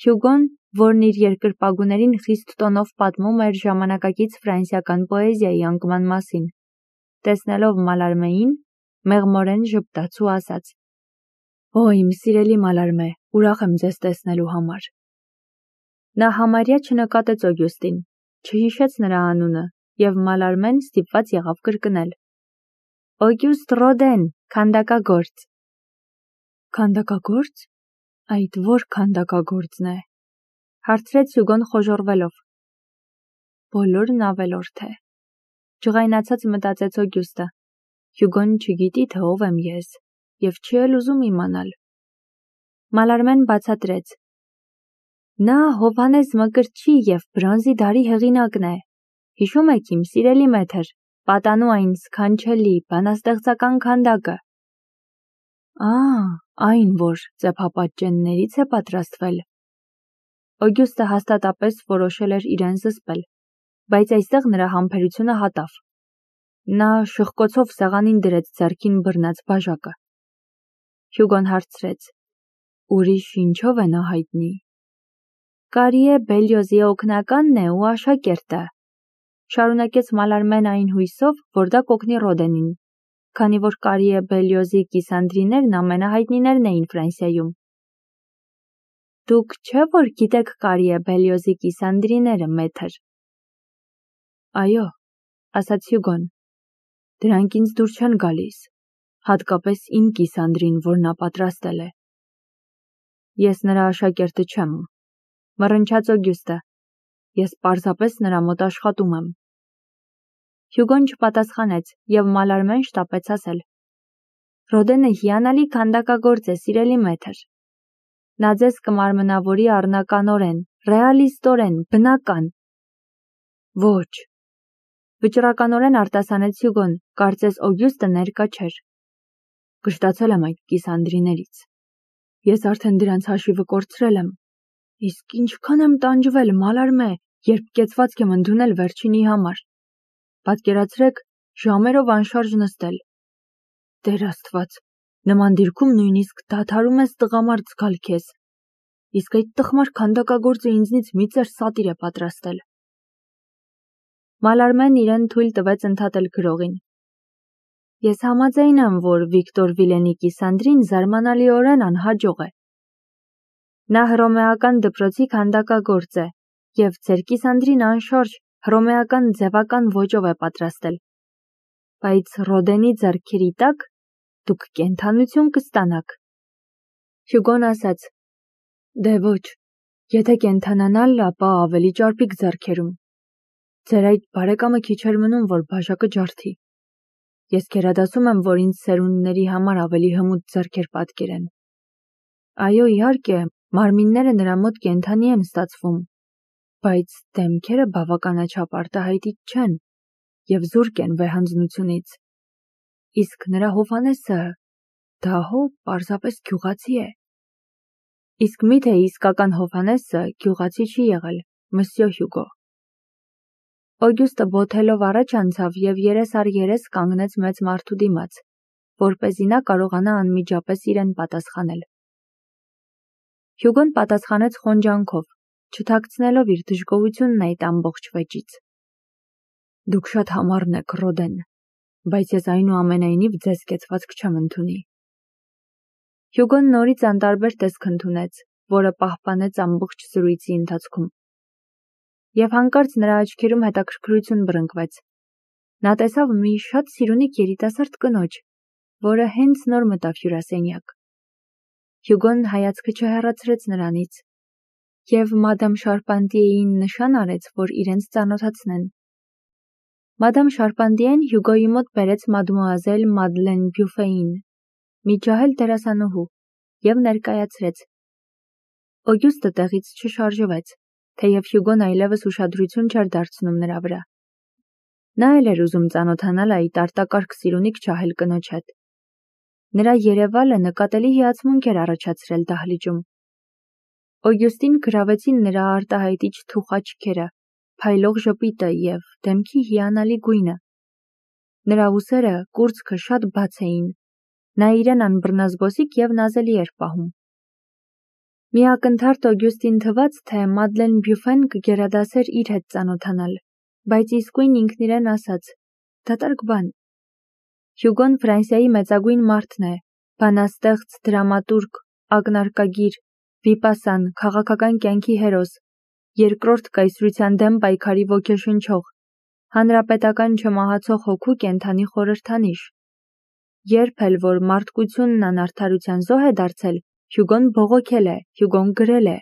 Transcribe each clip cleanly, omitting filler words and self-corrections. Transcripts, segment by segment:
Հյուգոն, որն իր երկրպագուներին խիստ տոնով պատմում էր ժամանակակից ֆրանսիական պոեզիայի անկման մասին, տեսնելով Մալարմեին, մեղմորեն ժպտաց ու ասաց. «Ո, իմ սիրելի Մալարմե, ուրախ եմ ձեզ տեսնելու համար»։ Նա համարյա չնկատեց Օգյուստին, չհիշեց նրա անունը, և Մալարմեն ստիպված եղավ կրկնել. «Օգյուստ Ռոդեն, քանդակագործ»։ «Քանդակագործ։ Այդ ո՞ր քանդակագործն է», հարցրեց Հյուգոն խոժոռվելով։ «Բոլորն ավելորդ է», ջղայնացած մտածեց Օգյուստը։ Հյուգոն չգիտի, թե ով եմ ես, և չի էլ ուզում իմանալ։ Մալարմեն բացատրեց. «Նա Հովհաննես Մկրտչի և բրոնզի դարի հեղինակն է։ Հիշում եք իմ սիրելի մեթր, պատանու այն սքանչելի, բանաստեղծական քանդակը»։ Այն, որ ծեփապատճեններից է պատրաստվել։ Օգյուստը հաստատապես որոշել էր իրեն զսպել, բայց այստեղ նրա համբերությունը հատավ։ Նա շխկոցով սեղանին դրեց ձեռքին բռնած բաժակը։ Հյուգոն հարցրեց. «Ուրիշ ինչով է նա հայտնի»։ «Կարիե Բելյոզի օգնականն է ու աշակերտը», շարունակեց Մալարմեն այն հույսով, որ դա կօգնի Ռոդենին, քանի որ Կարիե Բելյոզի կիսանդրիներն ամենահայտնիներն էին Ֆրանսիայում։ «Դուք չէ՞ որ գիտեք Կարիե Բելյոզի կիսանդրիները, մեթր»։ «Այո», ասաց Հյուգոն, «դրանք ինձ դուր չեն գալիս, հատկապես իմ կիսանդրին, որ նա պատրաստել է»։ «Ես նրա աշակերտը չեմ», մռնչաց Օգյուստը, «ես պարզապես նրա մոտ աշխատում եմ»։ Հյուգոն չպատասխանեց, և Մալարմեն շտապեց ասել. «Ռոդենը հիանալի քանդակագործ է, սիրելի մեթր։ Նա ձեզ կմարմնավորի առնականորեն, ռեալիստորեն, բնական»։ «Ոչ», վճռականորեն արտասանեց Հյուգոն, կարծես Օգյուստը ներկա չէր։ «Կշտացել եմ այդ կիսանդրիներից։ Ես արդեն դրանց հաշիվը կորցրել եմ։ Իսկ ինչքան եմ տանջվել, Մալարմե, երբ կեցվածք եմ ընդունել վերջինի համար։ Պատկերացրեք, ժամերով անշարժ նստել։ Տեր Աստված, նման դիրքում նույնիսկ դադարում ես տղամարդ զգալ քեզ։ Իսկ այդ տխմար քանդակագործը ինձնից մի ծեր սատիր է պատրաստել»։ Մալարմեն իրեն թույլ տվեց ընդհատել գրողին։ «Ես համաձայն եմ, որ Վիկտոր Վիլենի կիսանդրին զարմանալիորեն անհաջող է։ Նա հռոմեական դպրոցի քանդակագործ է, և ձեր կիսանդրին անշարժ հռոմեական ձևական ոճով է պատրաստել։ Բայց Ռոդենի ձեռքերի տակ դուք կենդանություն կստանաք»։ Հյուգոն ասաց. «Դե ոչ, եթե կենդանանալ, ապա ավելի ճարպիկ ձեռքերում։ Ձեր այդ բարեկամը քիչ էր մնում, որ բաժակը ջարդի։ Ես գերադասում եմ, որ ինձ սերունդների համար ավելի հմուտ ձեռքեր պատկերեն։ Այո, իհարկե, մարմինները նրա մոտ կենդանի են ստացվում, բայց դեմքերը բավականաչափ արտահայտիչ չեն և զուրկ են վեհանձնությունից։ Իսկ նրա Հովհաննեսը, դա հո պարզապես գյուղացի է»։ «Իսկ մի՞թե իսկական Հովհաննեսը գյուղացի չի եղել, մսյո Հյուգո»։ Օգյուստը բոթելով առաջ անցավ և երես առ երես կանգնեց մեծ մարդու դիմաց, որպեսզի նա կարողանա անմիջապես իրեն պատասխանել։ Հյուգոն պատասխանեց խոնջանքով, չթաքցնելով իր դժգոհությունն այդ ամբողջ վեճից. «Դուք շատ համառն եք, Ռոդեն, բայց ես այնուամենայնիվ ձեզ կեցվածք չեմ ընդունի»։ Հյուգոն նորից անտարբեր տեսք ընդունեց, որը պահպանեց ամբողջ զրույցի ընթացքում։ Եվ հանկարծ նրա աչքերում հետաքրքրություն բռնկվեց։ Նա տեսավ մի շատ սիրունիկ երիտասարդ կնոջ, որը հենց նոր մտավ հյուրասենյակ։ Հյուգոն հայացքը չհեռացրեց նրանից, և մադամ Շարպանտիեին նշան արեց, որ իրենց ծանոթացնեն։ Մադամ Շարպանտիեն Հյուգոյի մոտ բերեց մադմուազել Մադլեն Բյուֆեին, մի ջահել դերասանուհու, և ներկայացրեց։ Օգյուստը տեղից չշարժվեց, թեև Հյուգոն այլևս ուշադրություն չէր դարձնում նրա վրա։ Նա էլ էր ուզում ծանոթանալ այդ արտակարգ սիրունիկ ջահել կնոջ հետ։ Նրա երևալը նկատելի հիացմունք էր առաջացրել դահլիճում։ Օգյուստին գրավեցին նրա արտահայտիչ թուխ աչքերը, փայլող ժպիտը և դեմքի հիանալի գույնը։ Նրա ուսերը, կուրծքը շատ բաց էին, նա իրեն անբռնազբոսիկ և նազելի էր պահում։ Մի ակնթարթ Օգյուստին թվաց, թե Մադլեն Բյուֆեն կգերադասեր իր հետ ծանոթանալ, բայց իսկույն ինքն իրեն ասաց. դատարկ բան։ Հյուգոն Ֆրանսիայի մեծագույն մարդն է, բանաստեղծ, դրամատուրգ, ակնարկագիր, վիպասան, քաղաքական կյանքի հերոս, երկրորդ կայսրության դեմ պայքարի ոգեշնչող, հանրապետական չմահացող հոգու կենդանի խորհրդանիշ։ Երբ էլ որ մարդկությունն անարդարության զոհ է դարձել, Հյուգոն բողոքել է, Հյուգոն գրել է,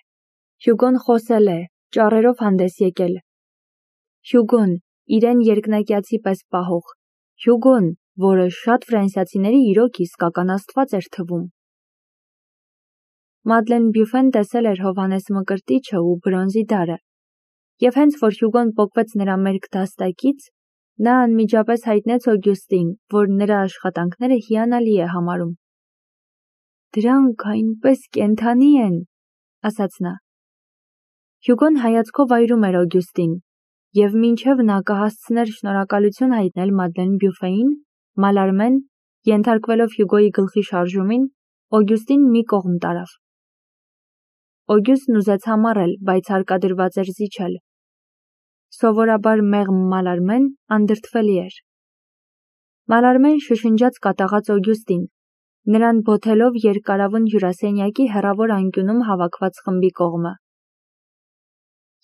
Հյուգոն խոսել է, ճառերով հանդես եկել։ Հյուգոն, իրեն երկնակյացի պես պահող, Հյուգոն, որը շատ ֆրանսիացիների իրոք իսկական աստված էր թվում։ Մադլեն Բյուֆեն տեսել էր Հովհաննես Մկրտիչը ու բրոնզի դարը, և հենց որ Հյուգոն պոկվեց նրա մերկ դաստակից, նա անմիջապես հայտնեց Օգյուստին, որ նրա աշխատանքները հիանալի է համարում։ «Դրանք այնպես կենդանի են», ասաց նա։ Հյուգոն հայացքով այրում էր Օգյուստին, և մինչև նա կհասցներ շնորհակալություն հայտնել Մադլեն Բյուֆեին, Մալարմեն, ենթարկվելով Հյուգոյի գլխի շարժումին, Օգյուստին մի կողմ տարավ։ Օգյուստն ուզեց համառել, բայց հարկադրված էր զիջել։ Սովորաբար մեղմ Մալարմեն անդրդվելի էր։ Մալարմեն շշնջաց կատաղած Օգյուստին, նրան բոթելով երկարավուն հյուրասենյակի հեռավոր անկյունում հավաքված խմբի կողմը։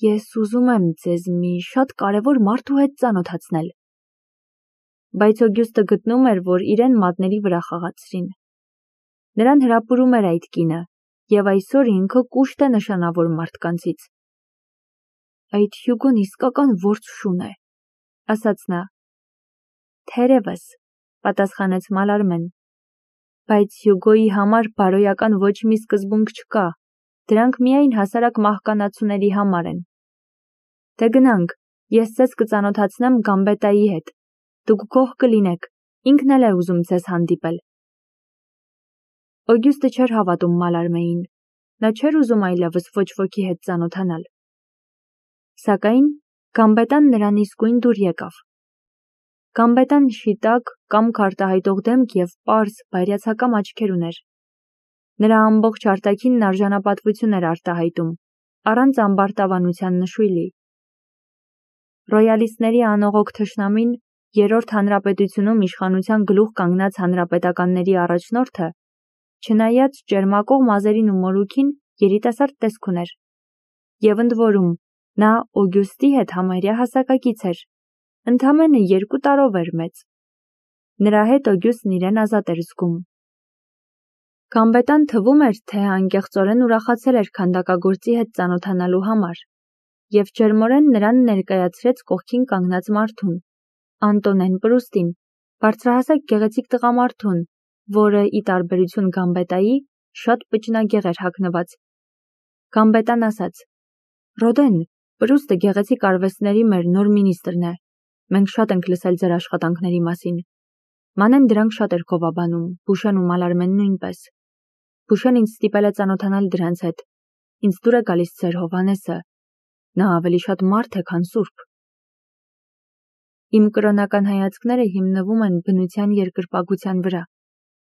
«Ես ուզում եմ ձեզ մի շատ կարևոր մարդու հետ ծանոթացնել»։ Բայց Օգյուստը գտնում էր, որ իրեն մատների վրա խաղացրին։ Նրան հրապուրում էր այդ կինը, և այսօր ինքը կուշտ է նշանավոր մարդկանցից։ «Այդ Հյուգոն իսկական որս շուն է», ասաց նա։ «Թերևս», պատասխանեց Մալարմեն, բայց Հյուգոյի համար բարոյական ոչ մի սկզբունք չկա, դրանք միայն հասարակ մահկանացուների համար են։ Դե գնանք, ես ձեզ կծանոթացնեմ Գամբետայի հետ, դուք գոհ կլինեք, ինքն էլ է ուզում ձեզ հանդիպել։ Օգյուստը չէր հավատում Մալարմեին, նա չէր ուզում այլևս ոչ ոքի հետ ծանոթանալ։ Սակայն Գամբետան նրան իսկույն դուր եկավ։ Գամբետան շիտակ, կամք արտահայտող դեմք և պարզ, բայրացակամ աչքեր ուներ։ Նրա ամբողջ արտաքինն արժանապատվություն էր արտահայտում, առանց ամբարտավանության նշույլի։ Ռոյալիստների անողոք թշնամին, Երրորդ հանրապետությունում իշխանության գլուխ կանգնած հանրապետականների առաջնորդը, չնայած ճերմակող մազերին ու մորուքին, երիտասարդ տեսք ուներ։ Եվ ընդ որում, նա Օգյուստի հետ համարյա հասակակից էր, ընդամենը 2 տարով էր մեծ։ Նրա հետ Օգյուստն իրեն ազատ էր զգում։ Գամբետան թվում էր, թե անկեղծորեն ուրախացել էր քանդակագործի հետ ծանոթանալու համար, և ջերմորեն նրան ներկայացրեց կողքին կանգնած մարդուն, Անտոնեն Պրուստին, բարձրահասակ գեղեցիկ տղամարդուն, որը, ի տարբերություն Գամբետայի, շատ պճնագեղ էր հագնված։ Գամբետան ասաց. «Ռոդեն, Պրուստը գեղեցիկ արվեստների մեր նոր մինիստրն է։ Մենք շատ ենք լսել ձեր աշխատանքների մասին։ Մանեն դրանք շատ էր գովաբանում, Բուշեն ու Մալարմեն նույնպես։ Բուշեն ինձ ստիպել է ծանոթանալ դրանց հետ։ Ինձ դուր է գալիս ձեր Հովհաննեսը։ Նա ավելի շատ մարդ է, քան սուրբ»։ Իմ կրոնական հայացքները հիմնվում են բնության երկրպագության վրա,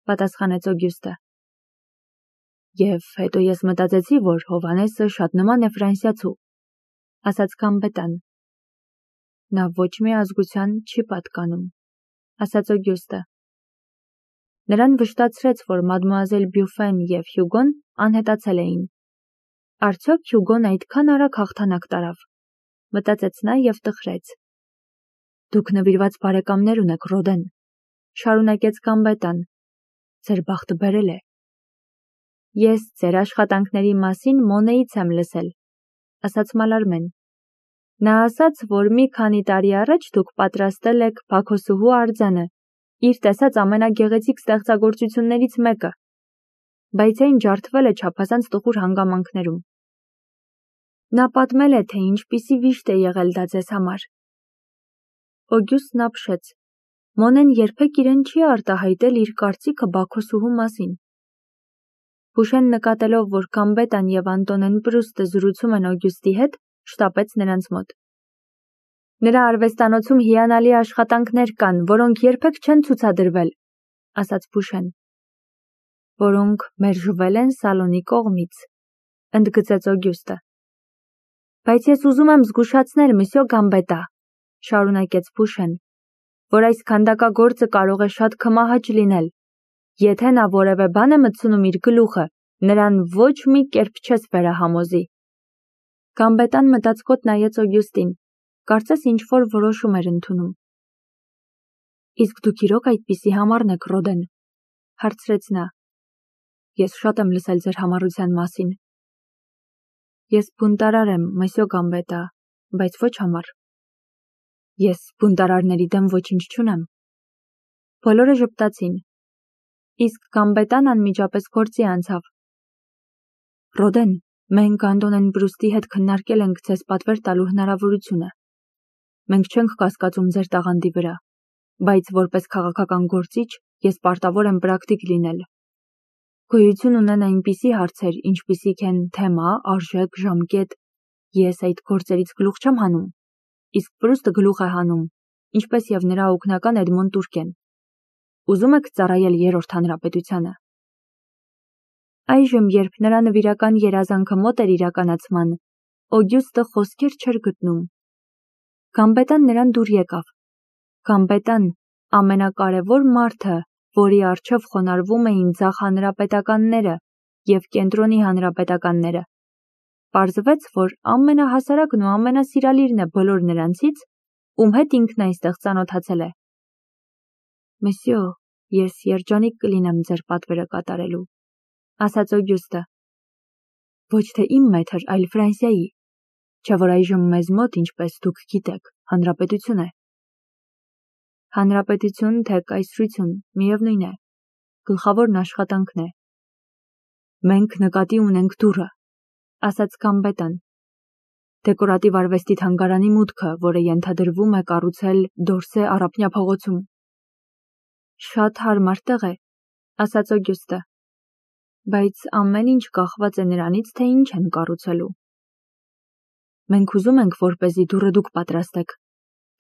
պատասխանեց Օգյուստը։ Եվ հետո ես մտածեցի, որ Հովհաննեսը շատ նման է ֆրանսիացու, ասաց Գամբետան։ Նա ոչ մի ազգության չի պատկանում, ասաց Օգյուստը։ Նրան վշտացրեց, որ մադմուազել Բյուֆեն և Հյուգոն անհետացել էին։ Արդյոք Հյուգոն այդքան արագ հաղթանակ տարավ, մտածեց նա և տխրեց։ Դուք նվիրված բարեկամներ ունեք, Ռոդեն, շարունակեց Գամբետան։ Ձեր բախտը բերել է։ Ես ձեր աշխատանքների մասին Մոնեից եմ լսել, ասաց Մալարմեն։ Նա ասաց, որ մի քանի տարի առաջ դուք պատրաստել եք Բաքոսուհու արձանը, իր տեսած ամենագեղեցիկ ստեղծագործություններից մեկը, բայց այն ջարդվել է չափազանց տխուր հանգամանքներում։ Նա պատմել է, թե ինչպիսի վիշտ է եղել դա ձեզ համար։ Օգյուստն ապշեց։ Մոնեն երբեք իրեն չի արտահայտել իր կարծիքը Բաքոսուհու մասին։ Բուշեն նկատելով, որ Գամբետան և Անտոնեն Պրուստը զրուցում են Օգյուստի հետ, շտապեց նրանց մոտ։ Նրա արվեստանոցում հիանալի աշխատանքներ կան, որոնք երբեք չեն ցուցադրվել, ասաց Բուշեն։ Որոնք մերժվել են Սալոնի կողմից, ընդգծեց Օգյուստը։ Բայց ես ուզում եմ զգուշացնել, մսյո Գամբետա, շարունակեց Փուշեն, որ այս քանդակագործը կարող է շատ քմահաճ լինել։ Եթե նա որևէ բան է մտցնում իր գլուխը, նրան ոչ մի կերպ չես վերահամոզի։ Գամբետան մտածկոտ նայեց Օգյուստին, կարծես ինչ-որ որոշում էր ընդունում։ Իսկ դուք իրոք այդպիսի համառն եք, Ռոդեն, հարցրեց նա։ Ես շատ եմ լսել ձեր համառության մասին։ Ես բունտարար եմ, մսյո Գամբետա, բայց ոչ համառ։ Ես բունտարարների դեմ ոչինչ չունեմ։ Բոլորը ժպտացին։ Իսկ Գամբետան անմիջապես գործի անցավ։ Ռոդեն, մենք Անդոնեն Բրուստի հետ քննարկել ենք ձեզ պատվեր տալու հնարավորությունը։ Մենք չենք կասկածում ձեր տաղանդի վրա, բայց որպես քաղաքական գործիչ ես պարտավոր եմ պրակտիկ լինել։ Գոյություն ունեն այնպիսի հարցեր, ինչպիսիք են թեմա, արժեք, ժամկետ։ Ես այդ գործերից գլուխ չեմ հանում, իսկ Պրուստը գլուխ է հանում, ինչպես եւ նրա օգնական Էդմոն Տուրկեն։ Ուզում եք ծառայել Երրորդ հանրապետությանը։ Այժմ, երբ նրա նվիրական երազանքը մոտ էր իրականացման, Օգյուստը խոսքեր չէր գտնում։ Գամբետան նրան դուր եկավ։ Գամբետան, ամենակարևոր մարդը, որի առջև խոնարհվում էին ձախ հանրապետականները եւ կենտրոնի հանրապետականները։ Պարզվեց, որ ամենահասարակն ու ամենասիրալիրն է բոլոր նրանցից, ում հետ ինքն այստեղ ծանոթացել է։ Մսյո, ես երջանիկ կլինեմ ձեր պատվերը կատարելու, ասաց Օգյուստը։ Ոչ թե իմ մեթր, այլ Ֆրանսիայի, չէ՞ որ այժմ մեզ մոտ, ինչպես դուք գիտեք, հանրապետություն է։ Հանրապետություն թե կայսրություն, միևնույն է, գլխավորն աշխատանքն է։ Մենք նկատի ունենք դուռը, ասաց Գամբետան։ Դեկորատիվ արվեստի թանգարանի մուտքը, որը ենթադրվում է կառուցել Դորսե առափնյա փողոցում։ Շատ հարմար տեղ է, ասաց Օգյուստը։ Բայց ամեն ինչ կախված է նրանից, թե ինչ են կառուցելու։ Մենք ուզում ենք, որպեսզի դուռը դուք պատրաստեք,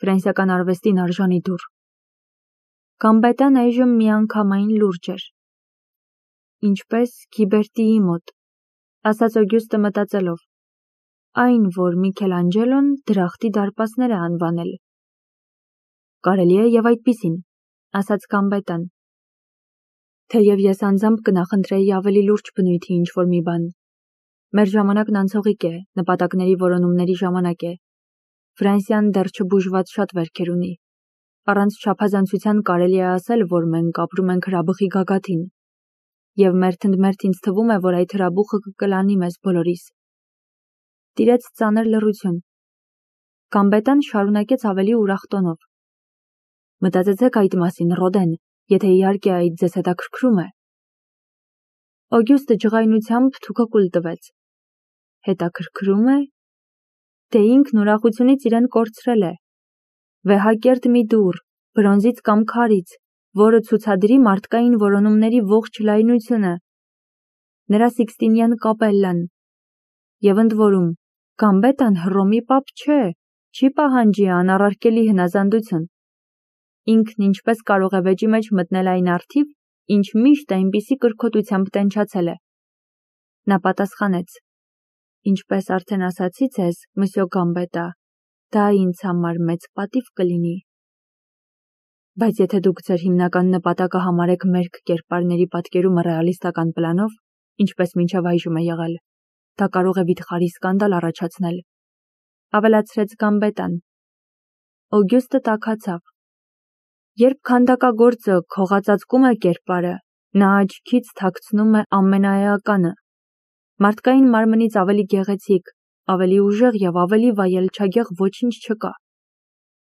ֆրանսիական արվեստին արժանի դուռ։ Գամբետան այժմ միանգամայն լուրջ էր։ Ինչպես Գիբերտիի մոտ, ասաց Օգյուստը մտածելով, այն, որ Միքելանջելոն դրախտի դարպասներ է անվանել։ Կարելի է եւ այդպիսին, ասաց Գամբետան։ Թեև ես անձամբ կնախընտրեի ավելի լուրջ բնույթի ինչ-որ մի բան։ Մեր ժամանակն անցողիկ է, նպատակների որոնումների ժամանակ է։ Ֆրանսիան դեռ չբուժված շատ վերքեր ունի։ Առանց չափազանցության կարելի է ասել, որ մենք ապրում ենք հրաբխի գագաթին։ Եվ մերթ ինձ թվում է, որ այդ հրաբուխը կկլանի մեզ բոլորիս։ Տիրեց ծանր լռություն։ Գամբետան շարունակեց ավելի ուրախ տոնով։ Մտածեցեք այդ մասին, Ռոդեն, եթե իհարկե այդ ձեզ հետաքրքրում է։ Օգյուստը ջղայնությամբ թուքակուլ տվեց։ Հետաքրքրում է։ Դե ինքն ուրախությունից իրեն կորցրել է։ Վեհակերտ մի դուռ, բրոնզից կամ քարից, որը ցուցադրի մարդկային որոնումների ողջ լայնությունը։ Նրա Սիքստինյան կապելլան։ Եվ ընդ որում, Գամբետան Հռոմի պապ չէ, չի պահանջի անառարկելի հնազանդություն։ Ինքն ինչպես կարող է վեճի մեջ մտնել այն առթիվ, ինչ միշտ այնպիսի կրքոտությամբ տենչացել է։ Նա պատասխանեց. Ինչպես արդեն ասացի ձեզ, մսյո Գամբետա, դա ինձ համար մեծ պատիվ կլինի։ Բայց եթե դուք ձեր հիմնական նպատակը համարեք մերկ կերպարների պատկերումը ռեալիստական պլանով, ինչպես մինչև այժմ է եղել, դա կարող է վիթխարի սկանդալ առաջացնել, ավելացրեց Գամբետան։ Օգյուստը տաքացավ։ Երբ քանդակագործը քողածածկում է կերպարը, նա աչքից թաքցնում է ամենաէականը։ Մարդկային մարմնից ավելի գեղեցիկ, ավելի ուժեղ եւ ավելի վայելչագեղ ոչինչ չկա։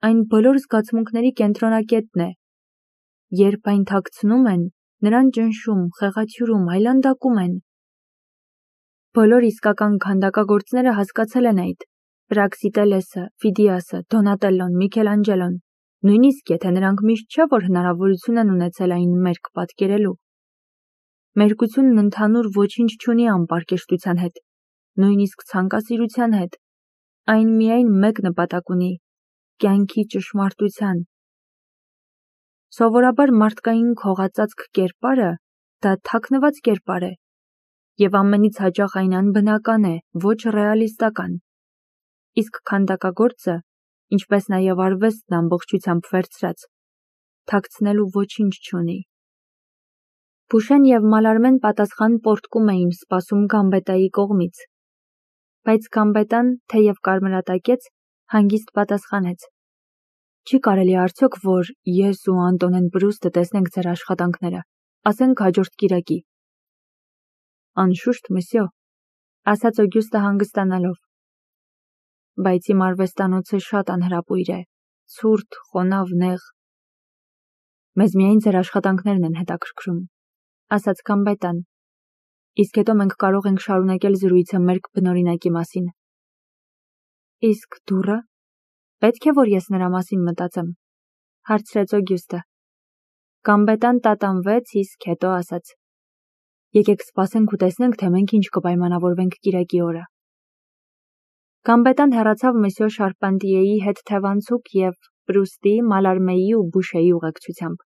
Այն բոլոր զգացմունքների կենտրոնակետն է։ Երբ այն թաքցնում են, նրան ճնշում, խեղաթյուրում, այլանդակում են։ Բոլոր իսկական քանդակագործները հասկացել են այդ։ Պրաքսիտելեսը, Ֆիդիասը, Դոնատելլոն, Միքելանջելոն, նույնիսկ եթե նրանք միշտ չէ, որ հնարավորություն են ունեցել այն մերկ պատկերելու։ Մերկությունն ընդհանուր ոչինչ չունի անպարկեշտության հետ, նույնիսկ ցանկասիրության հետ։ Այն միայն մեկ նպատակ ունի՝ կյանքի ճշմարտության։ Սովորաբար մարդկային քողածածկ կերպարը դա թաքնված կերպար է, եւ ամենից հաճախ այն անբնական է, ոչ ռեալիստական։ Իսկ քանդակագործը, ինչպես նաեւ արվեստն ամբողջությամբ վերցրած, թաքցնելու ոչինչ չունի։ Փուշեն եւ Մալարմեն պատասխան պոռթկում էին սպասում Գամբետայի կողմից, բայց Գամբետան, թեև կարմրատակեց, հանգիստ պատասխանեց. «Չի կարելի արդյոք, որ ես ու Անտոնեն Պրուստը տեսնենք ձեր աշխատանքները, ասենք հաջորդ կիրակի»։ «Անշուշտ, մսյո», ասաց Օգյուստը հանգստանալով։ «Բայց իմ արվեստանոցը շատ անհրապույր է, ցուրտ, խոնավ, նեղ»։ «Մեզ միայն ձեր աշխատանքներն են հետաքրքրում», ասաց Գամբետան։ «Իսկ հետո մենք կարող ենք շարունակել զրույցը մեր բնօրինակի մասին»։ «Իսկ դուռը, պետք է որ ես նրա մասին մտածեմ», հարցրեց Օգյուստը։ Գամբետան տատանվեց, իսկ հետո ասաց. «Եկեք սպասենք ու տեսնենք, թե մենք ինչ կպայմանավորվենք կիրակի օրը»։ Գամբետան հեռացավ մսյո Շարպանտիեի հետ թևանցուկ եւ Պրուստի, Մալարմեի ու Բուշեի ուղեկցությամբ։